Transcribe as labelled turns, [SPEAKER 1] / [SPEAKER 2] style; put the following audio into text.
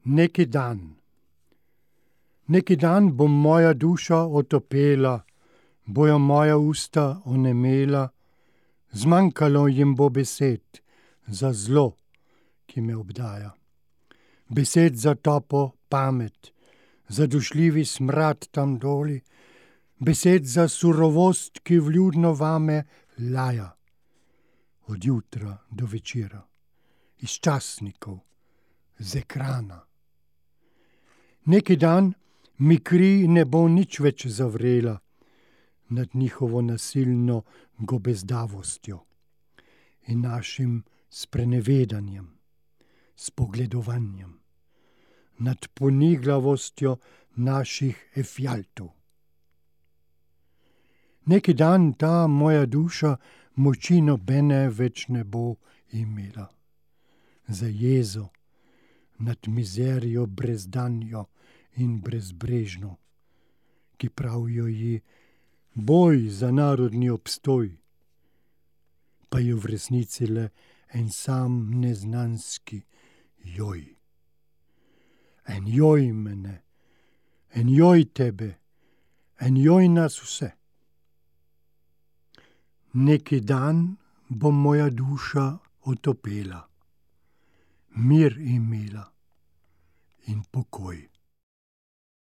[SPEAKER 1] Neki dan bo moja duša otopela, bojo moja usta onemela, zmanjkalo jim bo besed za zlo, ki me obdaja. Besed za topo pamet, za dušljivi smrad tam doli, besed za surovost, ki vljudno vame laja. Od jutra do večera, iz časnikov, z ekrana. Neki dan mi kri ne bo nič več zavrela nad njihovo nasilno gobezdavostjo in našim sprenevedanjem, spogledovanjem, nad poniglavostjo naših efjaltov. Neki dan ta moja duša moči nobene več ne bo imela. Za jezo nad mizerijo brezdanjo in brezbrežno, ki pravijo ji boj za narodni obstoj, pa je v resnici le en sam neznanski joj. En joj mene, en joj tebe, en joj nas vse. Neki dan bo moja duša otopela, mir imela in pokoj.